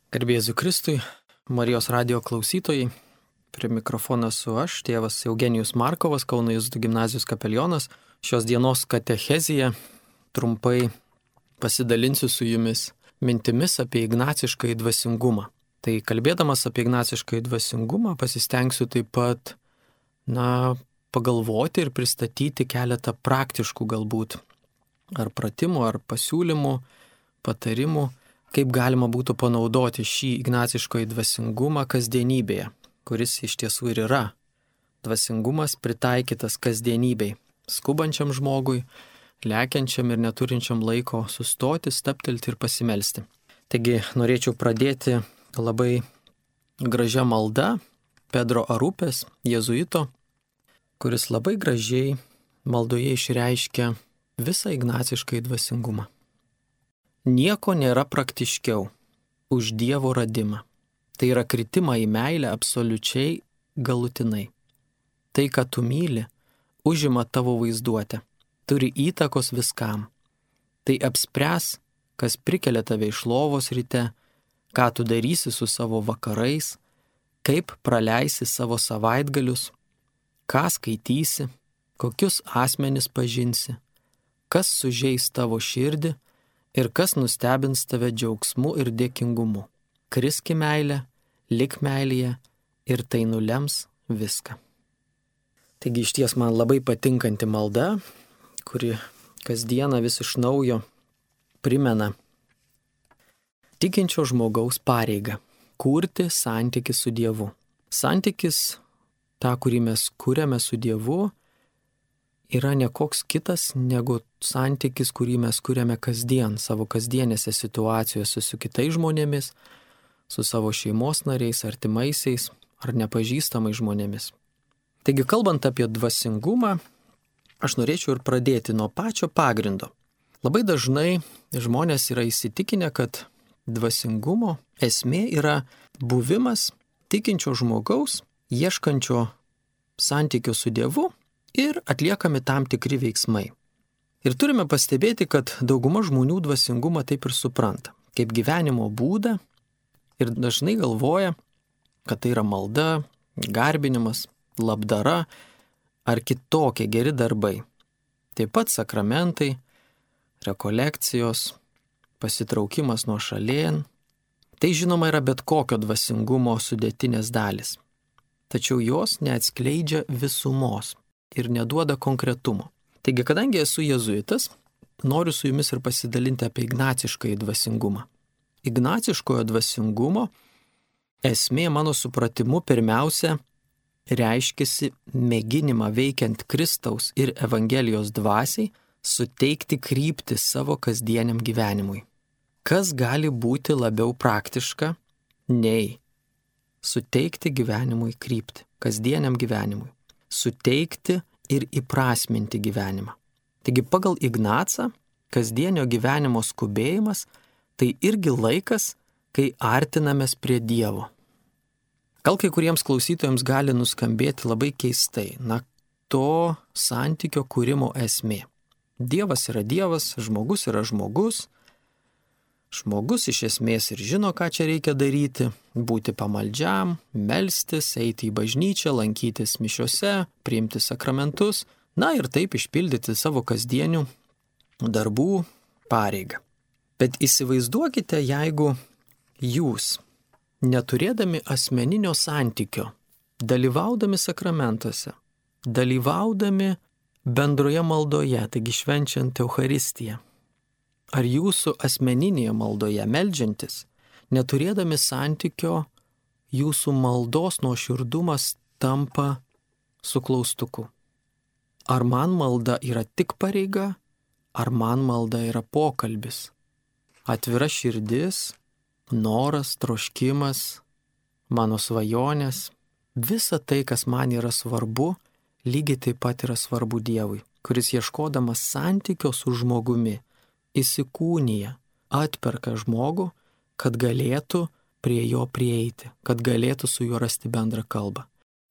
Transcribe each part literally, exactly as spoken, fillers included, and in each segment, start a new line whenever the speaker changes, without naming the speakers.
Garbė Jėzui Kristui, Marijos radijo klausytojai, prie mikrofono esu aš, tėvas Eugenijus Markovas, Kauno Jėzuitų gimnazijos kapelionas. Šios dienos katechezija trumpai pasidalinsiu su jumis mintimis apie ignaciškąjį dvasingumą. Tai kalbėdamas apie ignaciškąjį dvasingumą pasistengsiu taip pat, na, pagalvoti ir pristatyti keletą praktiškų galbūt ar pratimų, ar pasiūlymų, patarimų, kaip galima būtų panaudoti šį ignaciškąjį dvasingumą kasdienybėje, kuris iš tiesų ir yra dvasingumas pritaikytas kasdienybei, skubančiam žmogui, lekiančiam ir neturinčiam laiko sustoti, stabtelti ir pasimelsti. Taigi norėčiau pradėti labai gražia malda Pedro Arupės, jėzuito, kuris labai gražiai maldoje išreiškia visą ignaciškąjį dvasingumą. Nieko nėra praktiškiau už Dievo radimą. Tai yra kritimą į meilę absoliučiai galutinai. Tai, ką tu myli, užima tavo vaizduotę, turi įtakos viskam. Tai apspręs, kas prikelia tave iš lovos ryte, ką tu darysi su savo vakarais, kaip praleisi savo savaitgalius, ką skaitysi, kokius asmenis pažinsi, kas sužeis tavo širdį ir kas nustebins tave džiaugsmu ir dėkingumu. Kriski meilę, lik meilėje ir tai nulems viską. Taigi išties man labai patinkanti malda, kuri kasdieną vis iš naujo primena tikinčio žmogaus pareigą – kurti santykį su Dievu. Santykis, tą, kurį mes kuriame su Dievu, yra ne koks kitas negu santykis, kurį mes kuriame kasdien, savo kasdienėse situacijose su kitais žmonėmis, su savo šeimos nariais, artimaisiais ar nepažįstamais žmonėmis. Taigi, kalbant apie dvasingumą, aš norėčiau ir pradėti nuo pačio pagrindo. Labai dažnai žmonės yra įsitikinę, kad dvasingumo esmė yra buvimas tikinčio žmogaus, ieškančio santykio su Dievu ir atliekami tam tikri veiksmai. Ir turime pastebėti, kad dauguma žmonių dvasingumą taip ir supranta, kaip gyvenimo būdą ir dažnai galvoja, kad tai yra malda, garbinimas, labdara ar kitokie geri darbai. Taip pat sakramentai, rekolekcijos, pasitraukimas nuo šalėn. Tai žinoma yra bet kokio dvasingumo sudėtinės dalis. Tačiau jos neatskleidžia visumos ir neduoda konkretumo. Taigi, kadangi esu jėzuitas, noriu su jumis ir pasidalinti apie ignaciškąjį dvasingumą. Ignaciškojo dvasingumo esmė mano supratimu pirmiausia reiškiasi mėginimą veikiant Kristaus ir Evangelijos dvasiai suteikti kryptį savo kasdieniam gyvenimui. Kas gali būti labiau praktiška nei suteikti gyvenimui kryptį, kasdieniam gyvenimui, suteikti ir įprasminti gyvenimą. Taigi pagal Ignacą kasdienio gyvenimo skubėjimas tai irgi laikas, kai artinamės prie Dievo. Gal kai kuriems klausytojams gali nuskambėti labai keistai, na, to santykio kūrimo esmė. Dievas yra Dievas, žmogus yra žmogus. Žmogus iš esmės ir žino, ką čia reikia daryti, būti pamaldžiam, melstis, eiti į bažnyčią, lankytis mišiose, priimti sakramentus, na ir taip išpildyti savo kasdienių darbų pareigą. Bet įsivaizduokite, jeigu jūs, neturėdami asmeninio santykio, dalyvaudami sakramentuose, dalyvaudami bendroje maldoje, taigi švenčiant Eucharistiją, ar jūsų asmeninėje maldoje meldžiantis, neturėdami santykio, jūsų maldos nuoširdumas tampa su klaustuku. Ar man malda yra tik pareiga, ar man malda yra pokalbis? Atvira širdis, noras, troškimas, mano svajonės, visa tai, kas man yra svarbu, lygiai taip pat yra svarbu Dievui, kuris ieškodamas santykio su žmogumi, įsikūnija, atperka žmogų, kad galėtų prie jo prieiti, kad galėtų su juo rasti bendrą kalbą.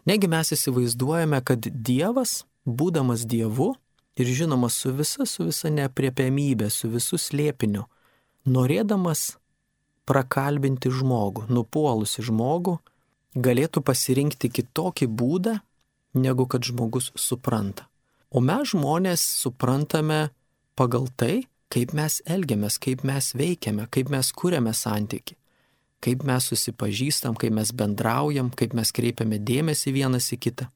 Negi mes įsivaizduojame, kad Dievas, būdamas Dievu ir žinoma su visa, su visa neapriepiamybė, su visu slėpiniu, norėdamas prakalbinti žmogų, nupuolusi žmogų, galėtų pasirinkti kitokį būdą, negu kad žmogus supranta. O mes žmonės suprantame pagal tai, kaip mes elgiamės, kaip mes veikiame, kaip mes kuriame santykį, kaip mes susipažįstam, kaip mes bendraujam, kaip mes kreipiame dėmesį vienas į kitą,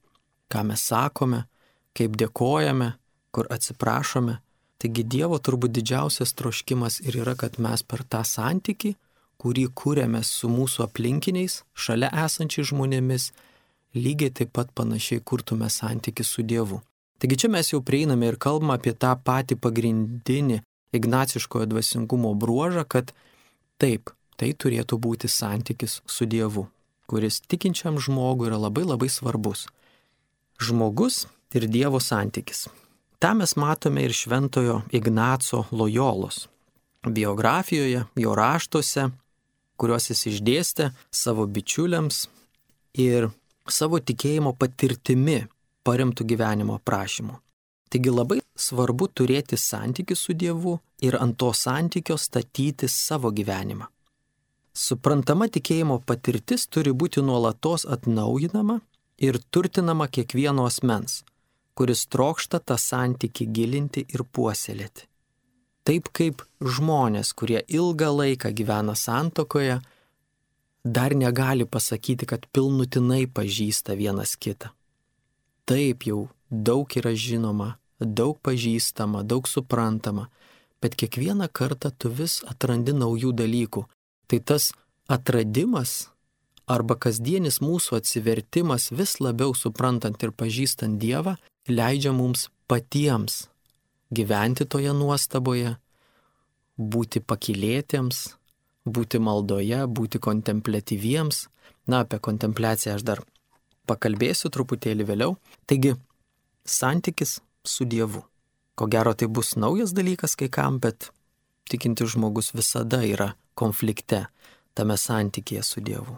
ką mes sakome, kaip dėkojame, kur atsiprašome. Taigi Dievo turbūt didžiausias troškimas ir yra, kad mes per tą santykį, kurį kūrėme su mūsų aplinkiniais, šalia esančiais žmonėmis, lygiai taip pat panašiai kurtume santykį su Dievu. Taigi čia mes jau prieiname ir kalbame apie tą patį pagrindinį ignaciškojo dvasingumo bruožą, kad taip, tai turėtų būti santykis su Dievu, kuris tikinčiam žmogui yra labai labai svarbus. Žmogus ir Dievo santykis. Ta mes matome ir šventojo Ignaco Lojolos biografijoje, jo raštuose, kuriuos jis išdėstė savo bičiuliams ir savo tikėjimo patirtimi paremtų gyvenimo aprašymu. Taigi labai svarbu turėti santykį su Dievu ir ant to santykio statyti savo gyvenimą. Suprantama tikėjimo patirtis turi būti nuolatos atnaujinama ir turtinama kiekvieno asmens, kuris trokšta tą santykį gilinti ir puoselėti. Taip kaip žmonės, kurie ilgą laiką gyvena santuokoje, dar negali pasakyti, kad pilnutinai pažįsta vienas kitą. Taip jau daug yra žinoma, daug pažįstama, daug suprantama, bet kiekvieną kartą tu vis atrandi naujų dalykų. Tai tas atradimas arba kasdienis mūsų atsivertimas vis labiau suprantant ir pažįstant Dievą, leidžia mums patiems gyventi toje nuostaboje, būti pakylėtiems, būti maldoje, būti kontempliatyviems. Na, apie kontempliaciją aš dar pakalbėsiu truputėlį vėliau. Taigi, santykis su Dievu. Ko gero tai bus naujas dalykas kai kam, bet tikintis žmogus visada yra konflikte tame santykėje su Dievu.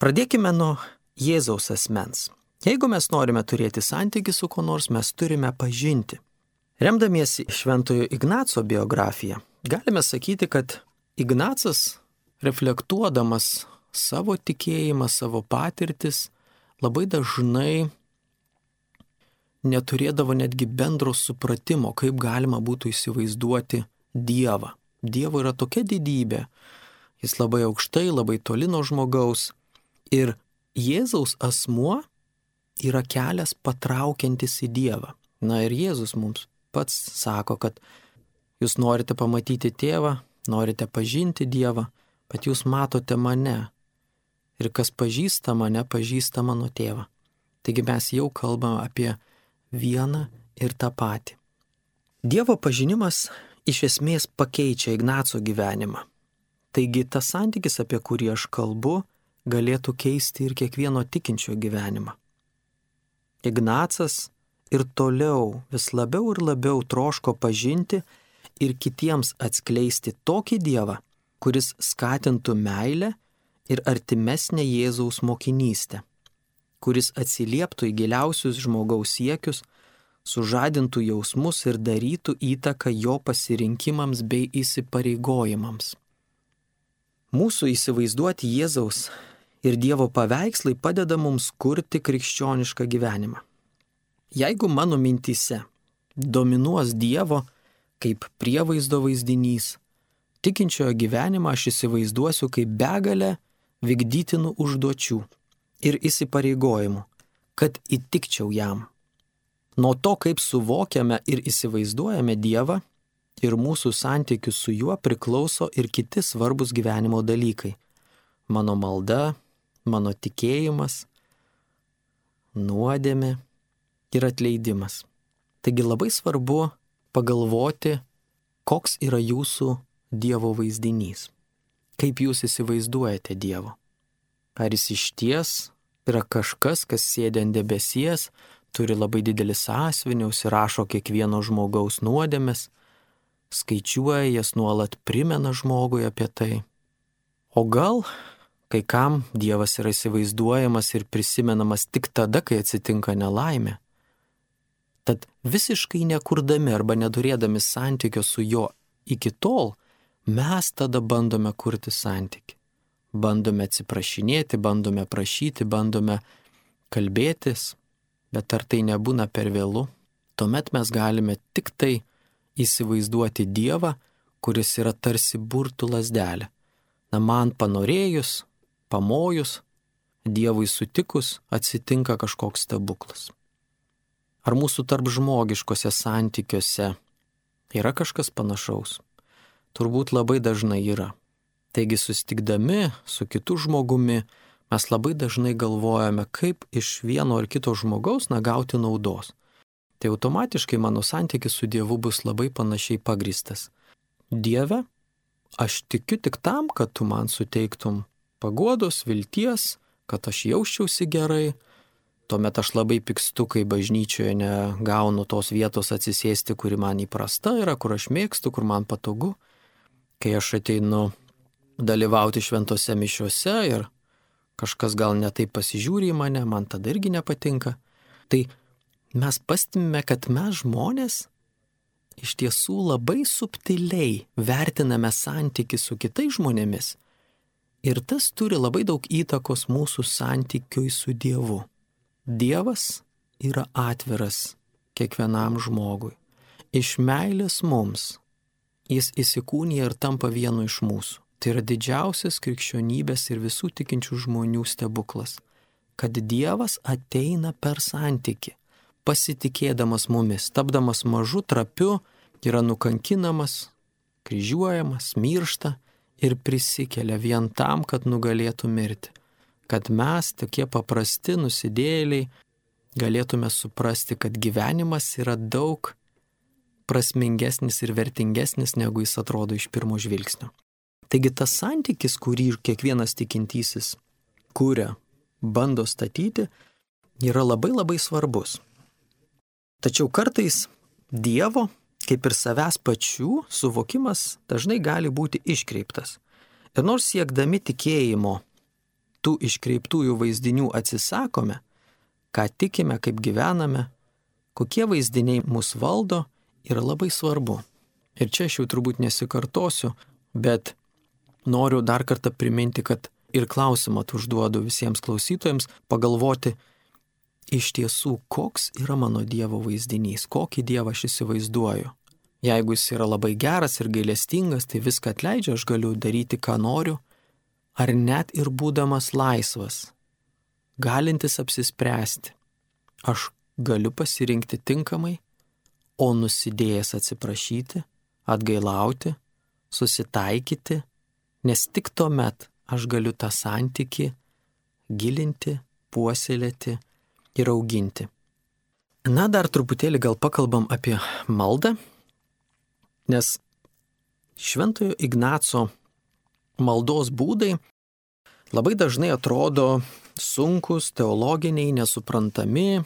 Pradėkime nuo Jėzaus asmens. Jeigu mes norime turėti santykį su kuo nors, mes turime pažinti. Remdamiesi šventojo Ignaco biografiją, galime sakyti, kad Ignacas, reflektuodamas savo tikėjimą, savo patirtis, labai dažnai neturėdavo netgi bendro supratimo, kaip galima būtų įsivaizduoti Dievą. Dievo yra tokia didybė, jis labai aukštai, labai toli nuo žmogaus. Ir Jėzaus asmuo yra kelias patraukiantis į Dievą. Na ir Jėzus mums pats sako, kad jūs norite pamatyti tėvą, norite pažinti Dievą, bet jūs matote mane. Ir kas pažįsta mane, pažįsta mano tėvą. Taigi mes jau kalbame apie vieną ir tą patį. Dievo pažinimas iš esmės pakeičia Ignaco gyvenimą. Taigi tas santykis, apie kurį aš kalbu, galėtų keisti ir kiekvieno tikinčio gyvenimą. Ignacas ir toliau vis labiau ir labiau troško pažinti ir kitiems atskleisti tokį Dievą, kuris skatintų meilę ir artimesnę Jėzaus mokinystę, kuris atsilieptų į giliausius žmogaus siekius, sužadintų jausmus ir darytų įtaką jo pasirinkimams bei įsipareigojimams. Mūsų įsivaizduoti Jėzaus ir Dievo paveikslai padeda mums kurti krikščionišką gyvenimą. Jeigu mano mintyse dominuos Dievo kaip prievaizdo vaizdinys, tikinčiojo gyvenimą aš įsivaizduosiu kaip begalę vykdytinų užduočių ir įsipareigojimų, kad įtikčiau jam. Nuo to, kaip suvokiame ir įsivaizduojame Dievą ir mūsų santykius su juo, priklauso ir kiti svarbus gyvenimo dalykai. Mano malda, mano tikėjimas, nuodėmė ir atleidimas. Taigi labai svarbu pagalvoti, koks yra jūsų Dievo vaizdinys. Kaip jūs įsivaizduojate Dievo? Ar jis išties yra kažkas, kas sėdi ant debesies, turi labai didelį sąsiuvinį, užsirašo kiekvieno žmogaus nuodėmes, skaičiuoja jas, nuolat primena žmogui apie tai? O gal kai kam Dievas yra įsivaizduojamas ir prisimenamas tik tada, kai atsitinka nelaimė? Tad visiškai nekurdami arba neturėdami santykio su juo iki tol, mes tada bandome kurti santykį. Bandome atsiprašinėti, bandome prašyti, bandome kalbėtis, bet ar tai nebūna per vėlu? Tuomet mes galime tik tai įsivaizduoti Dievą, kuris yra tarsi burtų lazdelė. Na, man panorėjus, pamojus, Dievui sutikus, atsitinka kažkoks stebuklas. Ar mūsų tarp žmogiškose santykiuose yra kažkas panašaus? Turbūt labai dažnai yra. Taigi susitikdami su kitu žmogumi, mes labai dažnai galvojame, kaip iš vieno ar kito žmogaus na gauti naudos. Tai automatiškai mano santykis su Dievu bus labai panašiai pagristas. Dieve, aš tikiu tik tam, kad tu man suteiktum paguodos, vilties, kad aš jausčiausi gerai. Tuomet aš labai pykstu, kai bažnyčioje negaunu tos vietos atsisėsti, kuri man įprasta yra, kur aš mėgstu, kur man patogu. Kai aš ateinu dalyvauti šventose mišiuose ir kažkas gal netaip pasižiūri į mane, man tada irgi nepatinka. Tai mes pastebime, kad mes žmonės iš tiesų labai subtiliai vertiname santykį su kitais žmonėmis ir tas turi labai daug įtakos mūsų santykiui su Dievu. Dievas yra atviras kiekvienam žmogui. Iš meilės mums jis įsikūnija ir tampa vienu iš mūsų. Tai yra didžiausias krikščionybės ir visų tikinčių žmonių stebuklas, kad Dievas ateina per santykį, pasitikėdamas mumis, tapdamas mažu, trapiu, yra nukankinamas, kryžiuojamas, miršta ir prisikelia vien tam, kad nugalėtų mirti. Kad mes, tokie paprasti nusidėjėliai, galėtume suprasti, kad gyvenimas yra daug prasmingesnis ir vertingesnis, negu jis atrodo iš pirmo žvilgsnio. Taigi tas santykis, kurį kiekvienas tikintysis kuria, bando statyti, yra labai labai svarbus. Tačiau kartais Dievo, kaip ir savęs pačių, suvokimas dažnai gali būti iškreiptas. Ir nors siekdami tikėjimo tų iškreiptųjų vaizdinių atsisakome, ką tikime, kaip gyvename, kokie vaizdiniai mus valdo, yra labai svarbu. Ir čia aš jau turbūt nesikartosiu, bet noriu dar kartą priminti, kad ir klausimą užduodu visiems klausytojams pagalvoti iš tiesų, koks yra mano Dievo vaizdinys, kokį Dievą aš įsivaizduoju. Jeigu jis yra labai geras ir gailestingas, tai viską atleidžia, aš galiu daryti, ką noriu, ar net ir būdamas laisvas, galintis apsispręsti, aš galiu pasirinkti tinkamai, o nusidėjęs atsiprašyti, atgailauti, susitaikyti, nes tik tuomet aš galiu tą santykį gilinti, puoselėti ir auginti. Na, dar truputėlį gal pakalbam apie maldą, nes Šventojo Ignaco maldos būdai labai dažnai atrodo sunkus, teologiniai, nesuprantami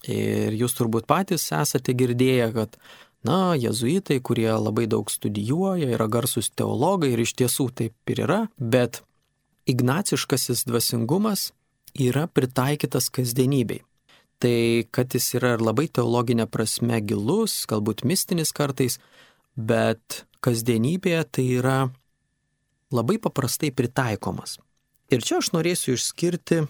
ir jūs turbūt patys esate girdėję, kad na, jėzuitai, kurie labai daug studijuoja, yra garsus teologai ir iš tiesų taip ir yra, bet ignaciškasis dvasingumas yra pritaikytas kasdienybei. Tai, kad jis yra ir labai teologinė prasme gilus, galbūt mistinis kartais, bet kasdienybėje tai yra labai paprastai pritaikomas. Ir čia aš norėsiu išskirti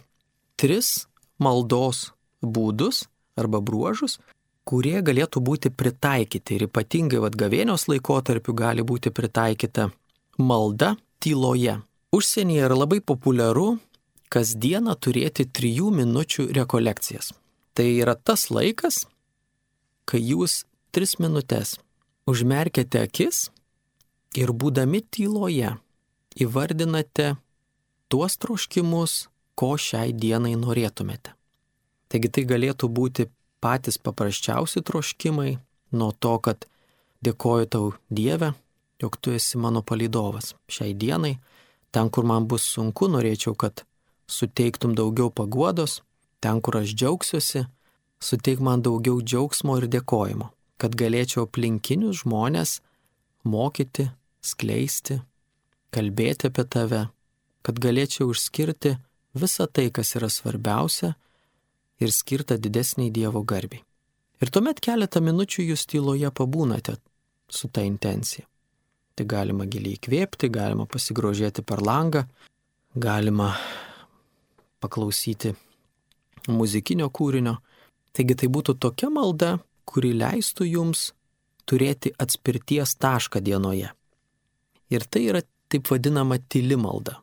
tris maldos būdus arba bruožus, kurie galėtų būti pritaikyti ir ypatingai vat gavėnios laikotarpiu gali būti pritaikyta malda tyloje. Užsienyje yra labai populiaru kasdieną turėti trijų minučių rekolekcijas. Tai yra tas laikas, kai jūs tris minutės užmerkiate akis ir būdami tyloje įvardinate tuos troškimus, ko šiai dienai norėtumėte. Taigi tai galėtų būti patys paprasčiausi troškimai, nuo to, kad dėkoju tau Dieve, jog tu esi mano palydovas šiai dienai, ten, kur man bus sunku, norėčiau, kad suteiktum daugiau paguodos, ten, kur aš džiaugsiuosi, suteik man daugiau džiaugsmo ir dėkojimo, kad galėčiau aplinkinius žmonės mokyti, skleisti, kalbėti apie tave, kad galėčiau išskirti visą tai, kas yra svarbiausia ir skirta didesniai Dievo garbei. Ir tuomet keletą minučių jūs tyloje pabūnate su ta intencija. Tai galima giliai įkvėpti, galima pasigrožėti per langą, galima paklausyti muzikinio kūrinio. Taigi tai būtų tokia malda, kuri leistų jums turėti atspirties tašką dienoje. Ir tai yra taip vadinama tyli malda.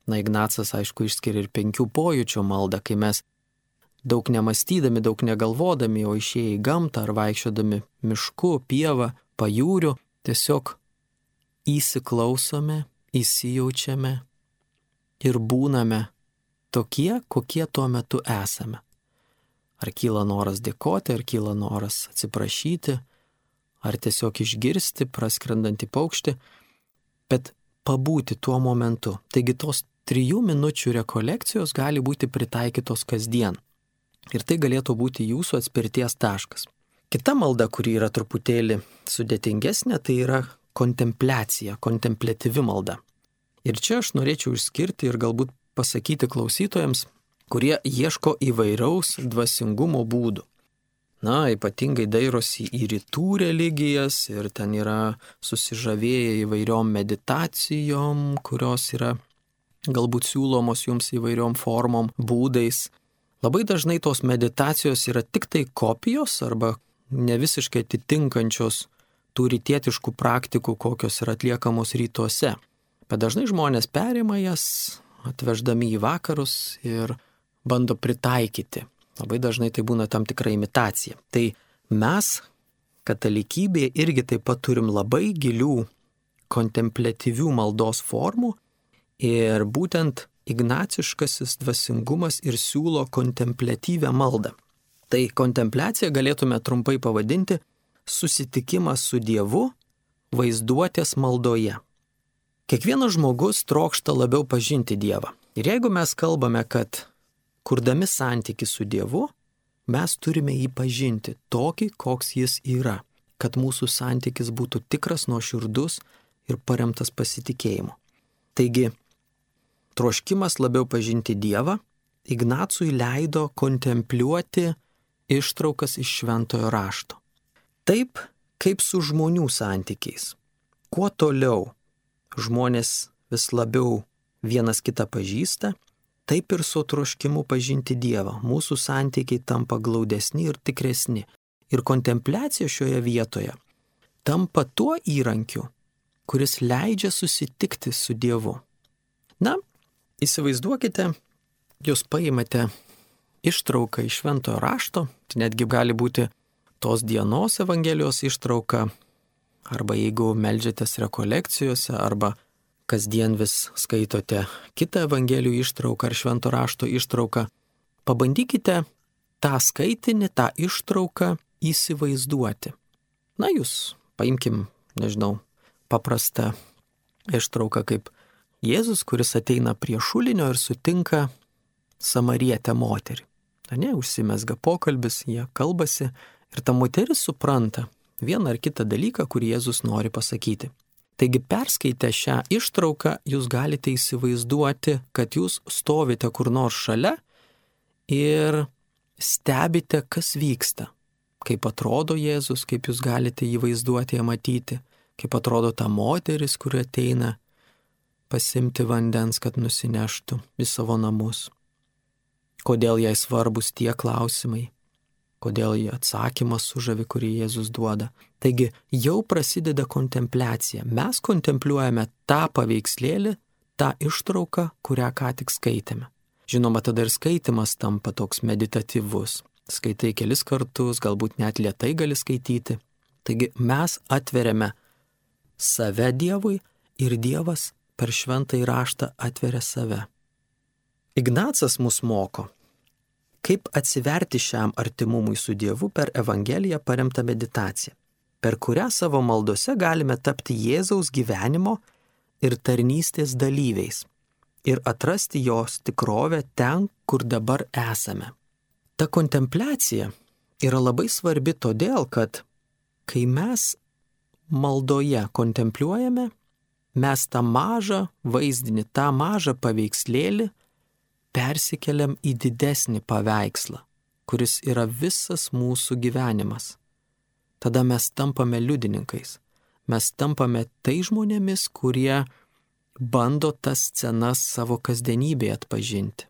Na, Ignacas, aišku, išskiria ir penkių pojūčių maldą, kai mes daug nemastydami, daug negalvodami, o išėję į gamtą ar vaikščiodami mišku, pievą, pajūriu, tiesiog įsiklausome, įsijaučiame ir būname tokie, kokie tuo metu esame. Ar kyla noras dėkoti, ar kyla noras atsiprašyti, ar tiesiog išgirsti praskrendantį paukštį, bet pabūti tuo momentu. Taigi tos trijų minučių rekolekcijos gali būti pritaikytos kasdien. Ir tai galėtų būti jūsų atspirties taškas. Kita malda, kuri yra truputėlį sudėtingesnė, tai yra kontempliacija, kontempliatyvi malda. Ir čia aš norėčiau išskirti ir galbūt pasakyti klausytojams, kurie ieško įvairaus dvasingumo būdų. Na, ypatingai dairosi į rytų religijas ir ten yra susižavėję įvairiom meditacijom, kurios yra galbūt siūlomos jums įvairiom formom, būdais. Labai dažnai tos meditacijos yra tik tai kopijos arba ne visiškai atitinkančios tų rytietiškų praktikų, kokios yra atliekamos rytuose. Bet dažnai žmonės perima jas, atveždami į vakarus ir bando pritaikyti. Labai dažnai tai būna tam tikra imitacija. Tai mes, katalikybėje, irgi taip pat turim labai gilių kontempliatyvių maldos formų ir būtent ignaciškasis dvasingumas ir siūlo kontempliatyvę maldą. Tai kontempliaciją galėtume trumpai pavadinti susitikimas su Dievu vaizduotės maldoje. Kiekvienas žmogus trokšta labiau pažinti Dievą. Ir jeigu mes kalbame, kad kurdami santykį su Dievu, mes turime jį pažinti tokį, koks jis yra, kad mūsų santykis būtų tikras, nuoširdus ir paremtas pasitikėjimu. Taigi, troškimas labiau pažinti Dievą Ignacui leido kontempliuoti ištraukas iš šventojo rašto. Taip, kaip su žmonių santykiais. Kuo toliau žmonės vis labiau vienas kitą pažįsta, taip ir su troškimu pažinti Dievą. Mūsų santykiai tampa glaudesni ir tikresni. Ir kontempliacija šioje vietoje tampa tuo įrankiu, kuris leidžia susitikti su Dievu. Na, įsivaizduokite, jūs paimate ištrauką iš šventojo rašto, tai netgi gali būti tos dienos Evangelijos ištrauka, arba jeigu meldžiatės rekolekcijose, arba kasdien vis skaitote kitą Evangelijų ištrauką ar švento rašto ištrauką, pabandykite tą skaitinį, tą ištrauką įsivaizduoti. Na, jūs paimkim, nežinau, paprastą ištrauką kaip Jėzus, kuris ateina prie šulinio ir sutinka samarietę moterį. Na, ne, užsimezga pokalbis, jie kalbasi ir ta moteris supranta vieną ar kitą dalyką, kurį Jėzus nori pasakyti. Taigi perskaitę šią ištrauką, jūs galite įsivaizduoti, kad jūs stovite kur nors šalia ir stebite, kas vyksta. Kaip atrodo Jėzus, kaip jūs galite jį vaizduoti, ją matyti, kaip atrodo ta moteris, kuri ateina pasimti vandens, kad nusineštų į savo namus. Kodėl jai svarbus tie klausimai, kodėl jie atsakymas sužavi, kurį Jėzus duoda. Taigi jau prasideda kontempliacija. Mes kontempliuojame tą paveikslėlį, tą ištrauką, kurią ką tik skaitėme. Žinoma, tada ir skaitimas tampa toks meditatyvus. Skaitai kelis kartus, galbūt net lėtai gali skaityti. Taigi mes atveriame save Dievui ir Dievas per šventąjį raštą atveria save. Ignacas mus moko, kaip atsiverti šiam artimumui su Dievu per Evangeliją paremtą meditaciją, per kurią savo maldose galime tapti Jėzaus gyvenimo ir tarnystės dalyviais ir atrasti jos tikrovę ten, kur dabar esame. Ta kontempliacija yra labai svarbi todėl, kad kai mes maldoje kontempliuojame, mes tą mažą vaizdinį, tą mažą paveikslėlį persikeliam į didesnį paveikslą, kuris yra visas mūsų gyvenimas. Tada mes tampame liudininkais. mes tampame tai žmonėmis, kurie bando tas scenas savo kasdienybėje atpažinti.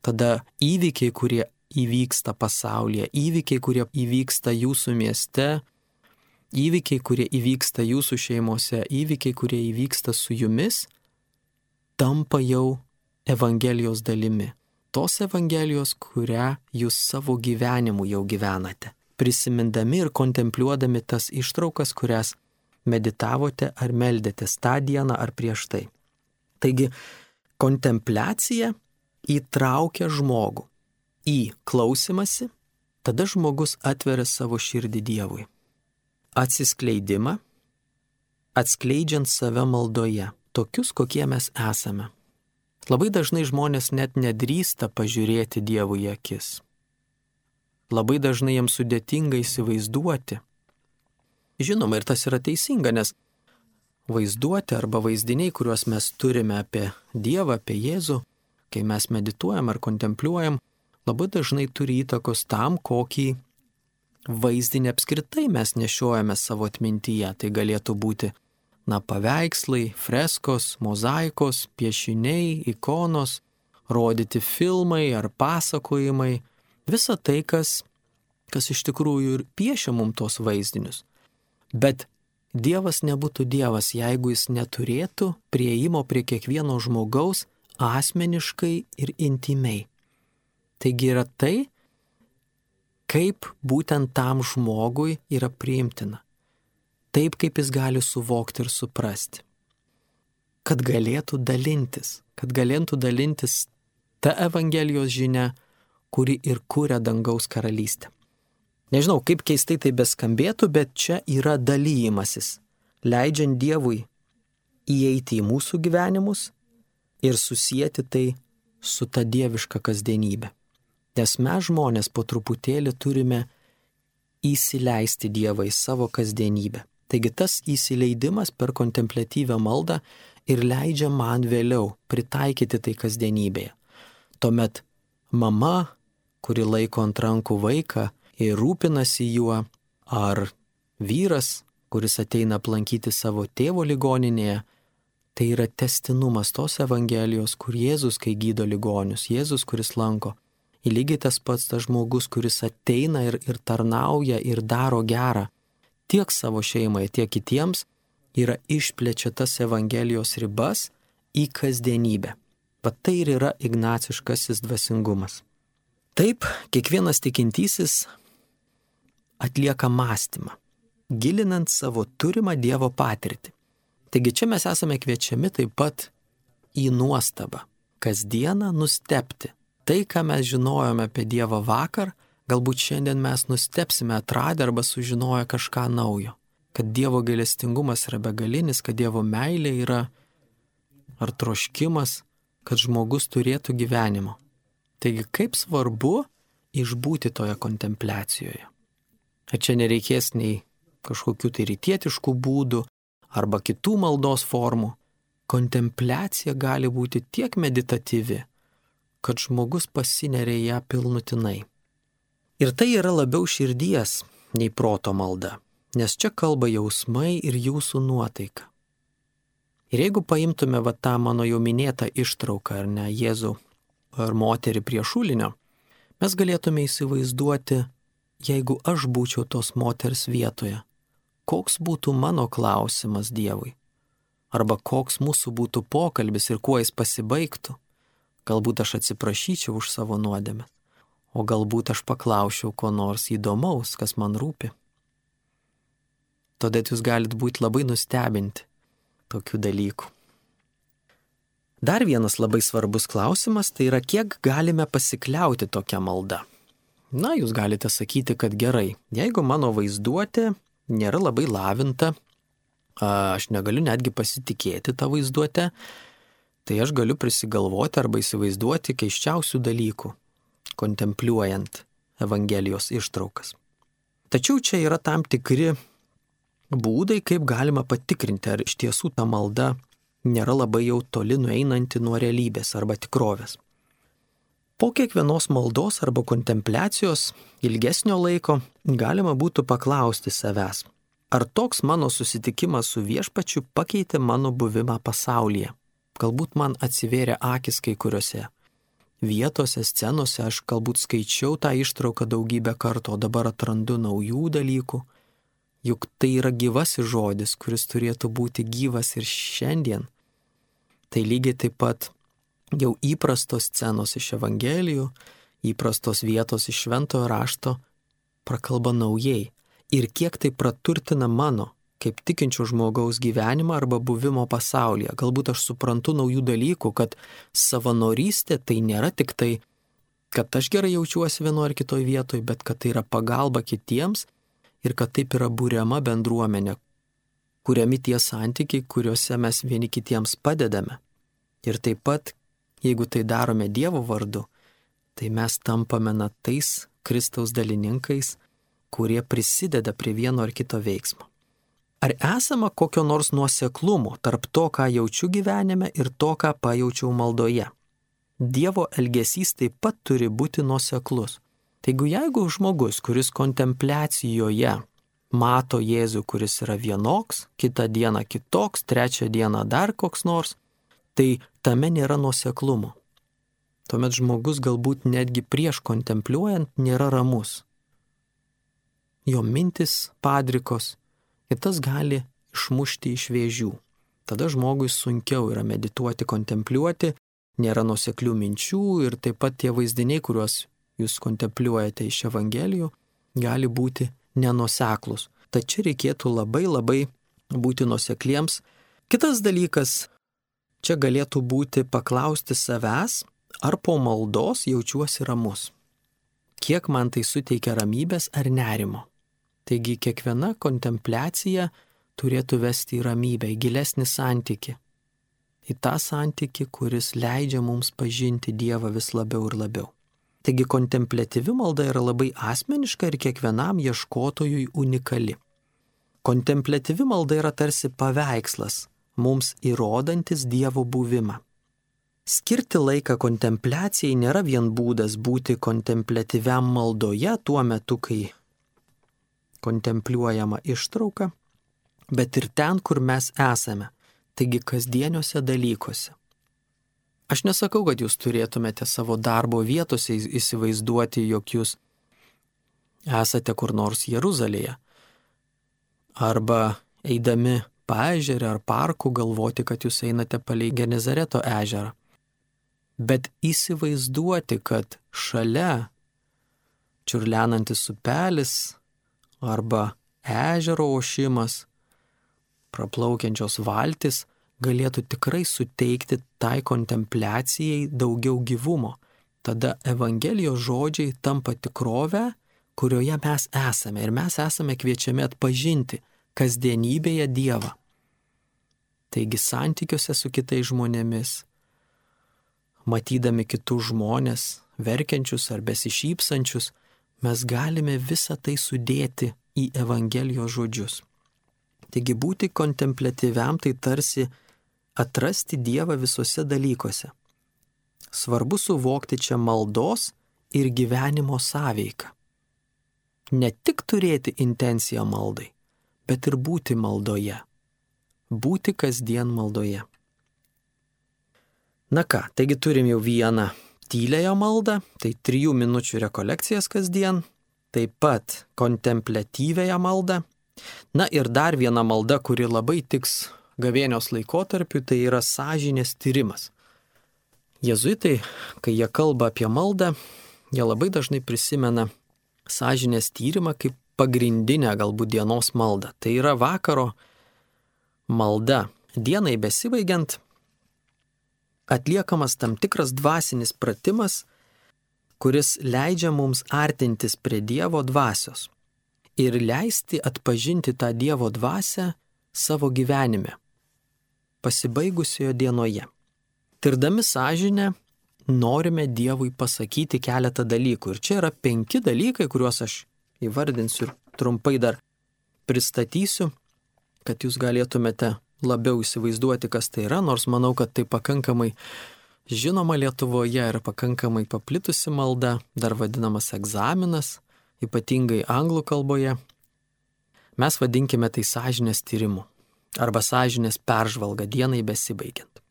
Tada įvykiai, kurie įvyksta pasaulyje, įvykiai, kurie įvyksta jūsų mieste, įvykiai, kurie įvyksta jūsų šeimose, įvykiai, kurie įvyksta su jumis, tampa jau Evangelijos dalimi. Tos Evangelijos, kurią jūs savo gyvenimu jau gyvenate, prisimindami ir kontempliuodami tas ištraukas, kurias meditavote ar meldėtės tą dieną ar prieš tai. Taigi, kontempliacija įtraukia žmogų į klausimąsi, tada žmogus atveria savo širdį Dievui. Atsiskleidimą, atskleidžiant save maldoje, tokius, kokie mes esame. Labai dažnai žmonės net nedrįsta pažiūrėti Dievui į akis. Labai dažnai jiems sudėtinga įsivaizduoti. Žinoma, ir tas yra teisinga, nes vaizduoti arba vaizdiniai, kuriuos mes turime apie Dievą, apie Jėzų, kai mes medituojam ar kontempliuojam, labai dažnai turi įtakos tam, kokį vaizdinį apskritai mes nešiojame savo atmintyje. Tai galėtų būti, na, paveikslai, freskos, mozaikos, piešiniai, ikonos, rodyti filmai ar pasakojimai. Visa tai, kas, kas iš tikrųjų ir piešia mums tos vaizdinius. Bet Dievas nebūtų Dievas, jeigu jis neturėtų prieimo prie kiekvieno žmogaus asmeniškai ir intimiai. Taigi yra tai, kaip būtent tam žmogui yra priimtina. Taip, kaip jis gali suvokti ir suprasti. Kad galėtų dalintis, kad galėtų dalintis ta Evangelijos žinia, kuri ir kuria dangaus karalystę. Nežinau, kaip keistai tai beskambėtų, bet čia yra dalymasis, leidžiant Dievui įeiti į mūsų gyvenimus ir susijęti tai su ta dieviška kasdienybė. Nes mes žmonės po truputėlį turime įsileisti Dievą į savo kasdienybę. Taigi tas įsileidimas per kontempliatyvę maldą ir leidžia man vėliau pritaikyti tai kasdienybėje. Tuomet mama, kuri laiko ant rankų vaiką ir rūpinasi juo, ar vyras, kuris ateina aplankyti savo tėvo ligoninėje, tai yra tęstinumas tos Evangelijos, kur Jėzus, kai gydo ligonius, Jėzus, kuris lanko. Ir lygiai tas pats tas žmogus, kuris ateina ir, ir tarnauja ir daro gerą tiek savo šeimai, tiek kitiems, yra išplečia tas Evangelijos ribas į kasdienybę. Bet tai ir yra ignaciškasis dvasingumas. Taip, kiekvienas tikintysis atlieka mąstymą, gilinant savo turimą Dievo patirtį. Taigi čia mes esame kviečiami taip pat į nuostabą, kasdieną nustebti. Tai, ką mes žinojome apie Dievą vakar, galbūt šiandien mes nustebsime atradę arba sužinoję kažką naujo. Kad Dievo gailestingumas yra begalinis, kad Dievo meilė yra ar troškimas, kad žmogus turėtų gyvenimo. Taigi kaip svarbu išbūti toje kontempliacijoje. Ir čia nereikės nei kažkokių tai rytietiškų būdų arba kitų maldos formų. Kontempliacija gali būti tiek meditatyvi, kad žmogus pasineria ją pilnutinai. Ir tai yra labiau širdies nei proto malda, nes čia kalba jausmai ir jūsų nuotaika. Ir jeigu paimtume va tą mano jau minėtą ištrauką, ar ne, Jėzų ar moterį prie šulinio, mes galėtume įsivaizduoti, jeigu aš būčiau tos moters vietoje, koks būtų mano klausimas Dievui, arba koks mūsų būtų pokalbis ir kuo jis pasibaigtų. Galbūt aš atsiprašyčiau už savo nuodėmes, o galbūt aš paklausčiau ko nors įdomaus, kas man rūpi. Todėl jūs galite būti labai nustebinti tokių dalykų. Dar vienas labai svarbus klausimas, tai yra, kiek galime pasikliauti tokią maldą. Na, jūs galite sakyti, kad gerai, jeigu mano vaizduotė nėra labai lavinta, aš negaliu netgi pasitikėti tą vaizduotę, tai aš galiu prisigalvoti arba įsivaizduoti keiščiausių dalykų, kontempliuojant Evangelijos ištraukas. Tačiau čia yra tam tikri būdai, kaip galima patikrinti, ar iš tiesų ta malda nėra labai jau toli nueinanti nuo realybės arba tikrovės. Po kiekvienos maldos arba kontempliacijos ilgesnio laiko galima būtų paklausti savęs, Ar toks mano susitikimas su viešpačiu pakeitė mano buvimą pasaulyje? Galbūt man atsivėrė akis kai kuriuose vietose, scenose, aš galbūt skaičiau tą ištrauką daugybę kartų, o dabar atrandu naujų dalykų. Juk tai yra gyvasis žodis, kuris turėtų būti gyvas ir šiandien. Tai lygiai taip pat jau įprastos scenos iš Evangelijų, įprastos vietos iš Šventojo rašto prakalba naujai. Ir kiek tai praturtina mano, kaip tikinčio žmogaus gyvenimą arba buvimo pasaulyje. Galbūt aš suprantu naujų dalykų, kad savanorystė tai nėra tik tai, kad aš gerai jaučiuosi vienoje ar kitoje vietoje, bet kad tai yra pagalba kitiems ir kad taip yra būriama bendruomenė, kuriami tie santykiai, kuriuose mes vieni kitiems padedame. Ir taip pat, jeigu tai darome Dievo vardu, tai mes tampame na tais Kristaus dalininkais, kurie prisideda prie vieno ar kito veiksmo. Ar esama kokio nors nuoseklumo tarp to, ką jaučiu gyvenime ir to, ką pajaučiau maldoje? Dievo elgesys taip pat turi būti nuoseklus. Taigi jeigu žmogus, kuris kontempliacijoje mato Jėzų, kuris yra vienoks, kitą dieną kitoks, trečią dieną dar koks nors, tai tame nėra nuoseklumo. Tuomet žmogus galbūt netgi prieš kontempliuojant nėra ramus. Jo mintis padrikos ir tas gali išmušti iš vėžių. Tada žmogui sunkiau yra medituoti, kontempliuoti, nėra nuoseklių minčių ir taip pat tie vaizdiniai, kuriuos jūs kontempliuojate iš Evangelijų, gali būti nenuoseklus. Tačiau reikėtų labai labai būti nuosekliems. Kitas dalykas, čia galėtų būti paklausti savęs, ar po maldos jaučiuosi ramus. Kiek man tai suteikia ramybės ar nerimo. Taigi kiekviena kontempliacija turėtų vesti į ramybę, į gilesnį santykį. Į tą santykį, kuris leidžia mums pažinti Dievą vis labiau ir labiau. Taigi kontempliatyvi malda yra labai asmeniška ir kiekvienam ieškotojui unikali. Kontempliatyvi malda yra tarsi paveikslas, mums įrodantis Dievo buvimą. Skirti laiką kontempliacijai nėra vien būdas būti kontempliatyviam maldoje tuo metu, kai kontempliuojama ištrauka, bet ir ten, kur mes esame, taigi kasdieniuose dalykuose. Aš nesakau, kad jūs turėtumėte savo darbo vietose įsivaizduoti, jog jūs esate kur nors Jeruzalėje, arba eidami paežerę ar parku galvoti, kad jūs einate palei Genezareto ežerą. Bet įsivaizduoti, kad šalia čiurlenantis upelis arba ežero ošimas, praplaukiančios valtis galėtų tikrai suteikti tai kontempliacijai daugiau gyvumo. Tada Evangelijos žodžiai tampa tikrove, kurioje mes esame ir mes esame kviečiami atpažinti kasdienybėje Dievą. Taigi santykiuose su kitais žmonėmis, matydami kitus žmonės, verkiančius ar besišypsančius, mes galime visą tai sudėti į Evangelijos žodžius. Taigi būti kontempliatyviam tai tarsi atrasti Dievą visuose dalykuose. Svarbu suvokti čia maldos ir gyvenimo sąveiką. Ne tik turėti intenciją maldai, bet ir būti maldoje. Būti kasdien maldoje. Na ką, taigi turim jau vieną tyliąją maldą, tai trijų minučių rekolekcijas kasdien, taip pat kontempliatyviąją maldą. Na ir dar viena malda, kuri labai tiks gavėnios laikotarpiu, tai yra sąžinės tyrimas. Jėzuitai, kai jie kalba apie maldą, jie labai dažnai prisimena sąžinės tyrimą kaip pagrindinę galbūt dienos maldą. Tai yra vakaro malda. Dienai besibaigiant atliekamas tam tikras dvasinis pratimas, kuris leidžia mums artintis prie Dievo dvasios ir leisti atpažinti tą Dievo dvasią savo gyvenime, pasibaigusioje dienoje. Tirdami sąžinę, norime Dievui pasakyti keletą dalykų. Ir čia yra penki dalykai, kuriuos aš įvardinsiu ir trumpai dar pristatysiu, kad jūs galėtumėte labiau įsivaizduoti, kas tai yra, nors manau, kad tai pakankamai žinoma Lietuvoje ir pakankamai paplitusi malda, dar vadinamas egzaminas, ypatingai anglų kalboje. Mes vadinkime tai sąžinės tyrimu arba sąžinės peržvalga dienai besibaigiant.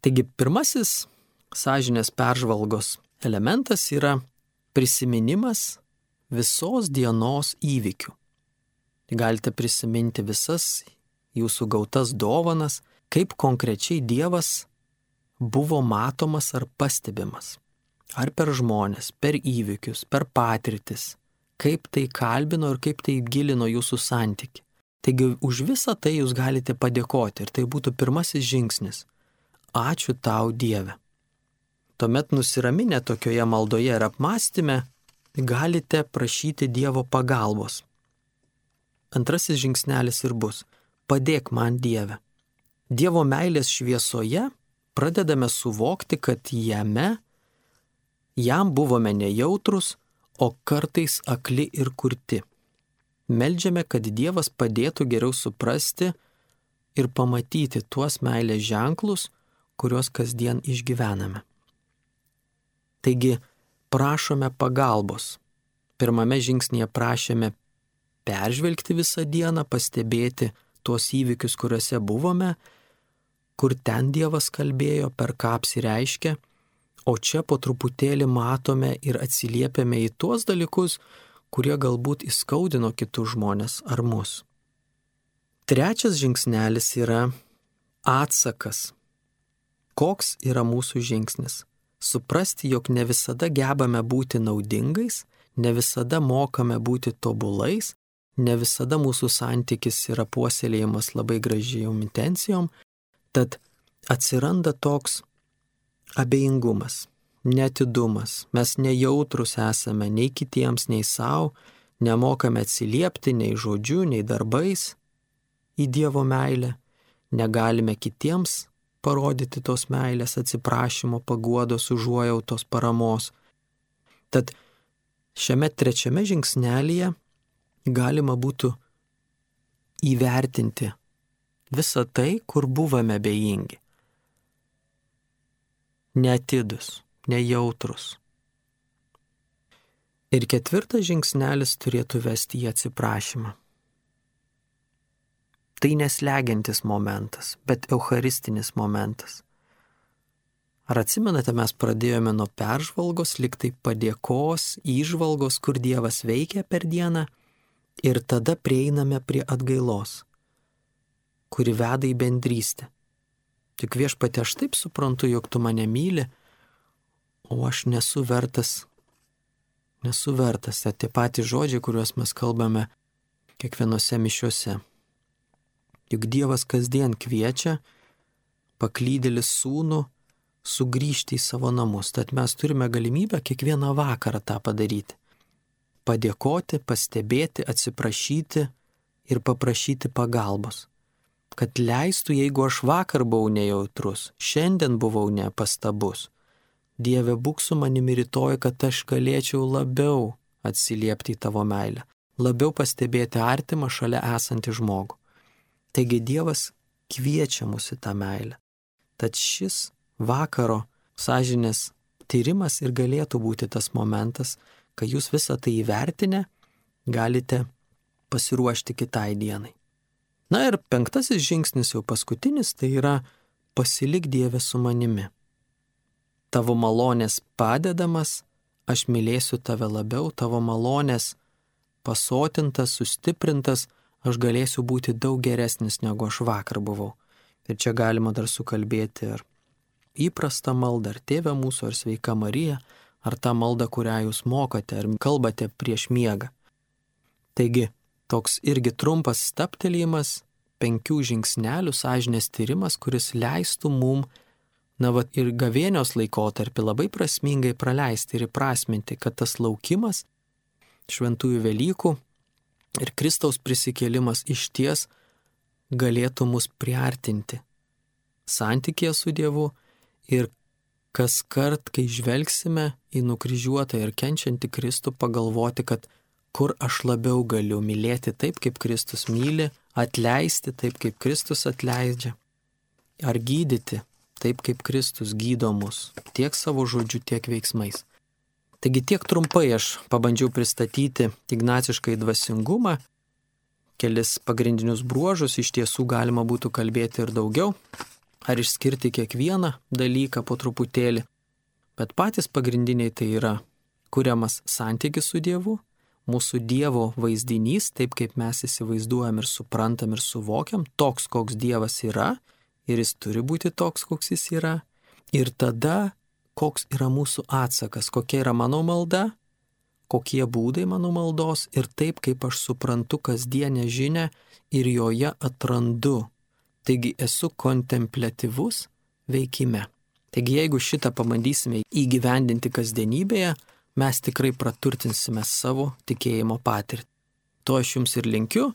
Taigi pirmasis sąžinės peržvalgos elementas yra prisiminimas visos dienos įvykių. Galite prisiminti visas jūsų gautas dovanas, kaip konkrečiai Dievas buvo matomas ar pastebimas. Ar per žmonės, per įvykius, per patirtis, kaip tai kalbino ir kaip tai gilino jūsų santykį. Taigi už visą tai jūs galite padėkoti ir tai būtų pirmasis žingsnis. Ačiū tau, Dieve. Tuomet nusiraminę tokioje maldoje ir apmąstyme, galite prašyti Dievo pagalbos. Antrasis žingsnelis ir bus: padėk man, Dieve. Dievo meilės šviesoje pradedame suvokti, kad jame, jam buvome nejautrus, o kartais akli ir kurti. Meldžiame, kad Dievas padėtų geriau suprasti ir pamatyti tuos meilės ženklus, kuriuos kasdien išgyvename. Taigi, prašome pagalbos. Pirmame žingsnyje prašėme peržvelgti visą dieną, pastebėti tuos įvykius, kuriuose buvome, kur ten Dievas kalbėjo, per ką apsireiškė, o čia po truputėlį matome ir atsiliepiame į tuos dalykus, kurie galbūt įskaudino kitus žmonės ar mus. Trečias žingsnelis yra atsakas. Koks yra mūsų žingsnis? Suprasti, jog ne visada gebame būti naudingais, ne visada mokame būti tobulais, ne visada mūsų santykis yra puoselėjimas labai gražiom intencijom, tad atsiranda toks abejingumas, neatidumas, mes nejautrus esame nei kitiems, nei savo, nemokame atsiliepti nei žodžiu, nei darbais į Dievo meilę, negalime kitiems parodyti tos meilės, atsiprašymo, paguodos, užuojautos, paramos. Tad šiame trečiame žingsnelyje galima būtų įvertinti visą tai, kur buvome abejingi. Neatidus, nejautrus. Ir ketvirtas žingsnelis turėtų vesti į atsiprašymą. Tai neslegiantis momentas, bet eucharistinis momentas. Ar atsimenate, mes pradėjome nuo peržvalgos, lyg tai padėkos, įžvalgos, kur Dievas veikia per dieną, ir tada prieiname prie atgailos, kuri veda į bendrystę. Tik Viešpatie, aš taip suprantu, jog tu mane myli, o aš nesu vertas, nesu vertas. Tai tie patys žodžiai, kuriuos mes kalbame kiekvienose mišiuose. Juk Dievas kasdien kviečia paklydėlį sūnų sugrįžti į savo namus. Tad mes turime galimybę kiekvieną vakarą tą padaryti. Padėkoti, pastebėti, atsiprašyti ir paprašyti pagalbos. Kad leistų, jeigu aš vakar buvau nejautrus, šiandien buvau nepastabus. Dieve, būk su manimi rytoj, kad aš galėčiau labiau atsiliepti į tavo meilę, labiau pastebėti artimą šalia esantį žmogų. Taigi Dievas kviečia mus į tą meilę. Tad šis vakaro sąžinės tyrimas ir galėtų būti tas momentas, kai jūs visą tai įvertinę galite pasiruošti kitai dienai. Na ir penktasis žingsnis, jau paskutinis, tai yra pasilik Dieve su manimi. Tavo malonės padedamas, aš mylėsiu tave labiau, tavo malonės pasotintas, sustiprintas, aš galėsiu būti daug geresnis, negu aš vakar buvau. Ir čia galima dar sukalbėti ir įprastą maldą, ar Tėve mūsų, ar Sveika Marija, ar tą maldą, kurią jūs mokate, ar kalbate prieš miegą. Taigi, toks irgi trumpas stabtelėjimas, penkių žingsnelių sąžinės tyrimas, kuris leistų mum, na va, ir gavėnios laikotarpį labai prasmingai praleisti ir įprasminti, kad tas laukimas šventųjų Velykų ir Kristaus prisikėlimas išties galėtų mus priartinti santykėje su Dievu ir kas kart, kai žvelgsime į nukryžiuotą ir kenčiantį Kristų, pagalvoti, kad kur aš labiau galiu mylėti taip, kaip Kristus myli, atleisti taip, kaip Kristus atleidžia, ar gydyti taip, kaip Kristus gydo mus, tiek savo žodžiu, tiek veiksmais. Taigi tiek trumpai aš pabandžiau pristatyti ignaciškai dvasingumą kelis pagrindinius bruožus, iš tiesų galima būtų kalbėti ir daugiau, ar išskirti kiekvieną dalyką po truputėlį. Bet patys pagrindiniai tai yra kuriamas santykis su Dievu, mūsų Dievo vaizdinys, taip kaip mes įsivaizduojam ir suprantam ir suvokiam, toks, koks Dievas yra, ir jis turi būti toks, koks jis yra. Ir tada, koks yra mūsų atsakas, kokia yra mano malda, kokie būdai mano maldos ir taip, kaip aš suprantu kasdienę žinią ir joje atrandu. Taigi esu kontempliatyvus veikime. Taigi jeigu šitą pabandysime įgyvendinti kasdienybėje, mes tikrai praturtinsime savo tikėjimo patirtį. To aš jums ir linkiu,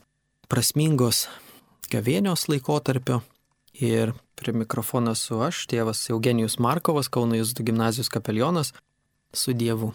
prasmingos gavėnios laikotarpio. Ir prie mikrofono esu aš, tėvas Eugenijus Markovas, Kauno Jėzuitų gimnazijos kapelionas, su Dievu.